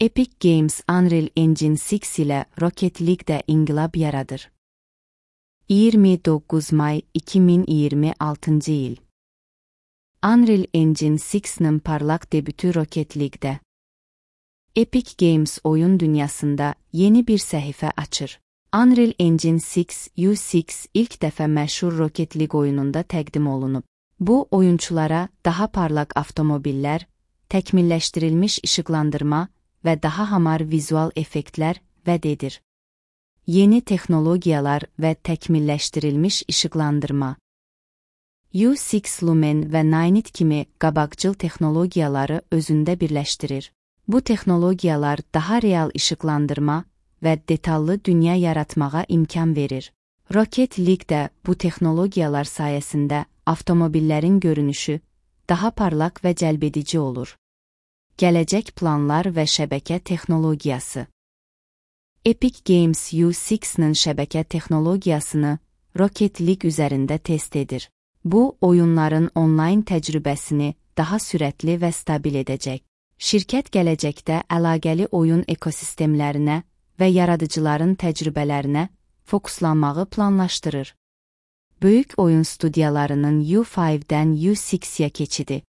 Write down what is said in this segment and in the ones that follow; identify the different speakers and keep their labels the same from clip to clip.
Speaker 1: Epic Games Unreal Engine 6 ilə Rocket League-də inqilab yaradır. 29 may 2026 il. Unreal Engine 6'nin parlaq debütü Rocket League-də. Epic Games oyun dünyasında yeni bir səhifə açır. Unreal Engine 6 U6 ilk dəfə məşhur Rocket League oyununda təqdim olunub. Bu, oyunçulara daha parlaq avtomobillər, təkmilləşdirilmiş işıqlandırma və daha hamar vizual effektlər vəd edir. Yeni texnologiyalar və təkmilləşdirilmiş işıqlandırma. U6 Lumen və Ninit kimi qabaqcıl texnologiyaları özündə birləşdirir. Bu texnologiyalar daha real işıqlandırma və detallı dünya yaratmağa imkan verir. Rocket League-də bu texnologiyalar sayəsində avtomobillərin görünüşü daha parlaq və cəlbedici olur. Gələcək planlar və şəbəkə texnologiyası. Epic Games U6-nin şəbəkə texnologiyasını Rocket League üzərində test edir. Bu, oyunların onlayn təcrübəsini daha sürətli və stabil edəcək. Şirkət gələcəkdə əlaqəli oyun ekosistemlərinə və yaradıcıların təcrübələrinə fokuslanmağı planlaşdırır. Böyük oyun studiyalarının U5-dən U6-yə keçidi.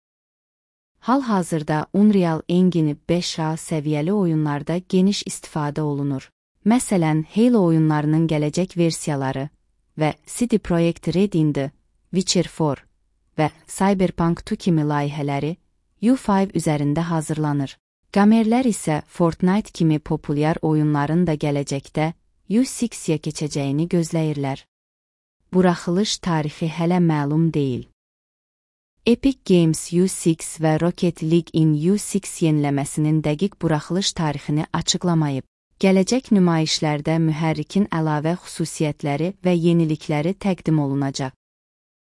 Speaker 1: Hal-hazırda Unreal Engine 5A səviyyəli oyunlarda geniş istifadə olunur. Məsələn, Halo oyunlarının gələcək versiyaları və CD Projekt Red'in The Witcher 4 və Cyberpunk 2 kimi layihələri U5 üzərində hazırlanır. Gamerlər isə Fortnite kimi populyar oyunların da gələcəkdə U6-yə keçəcəyini gözləyirlər. Buraxılış tarixi hələ məlum deyil. Epic Games U6 və Rocket League-in U6 yeniləməsinin dəqiq buraxılış tarixini açıqlamayıb. Gələcək nümayişlərdə mühərrikin əlavə xüsusiyyətləri və yenilikləri təqdim olunacaq.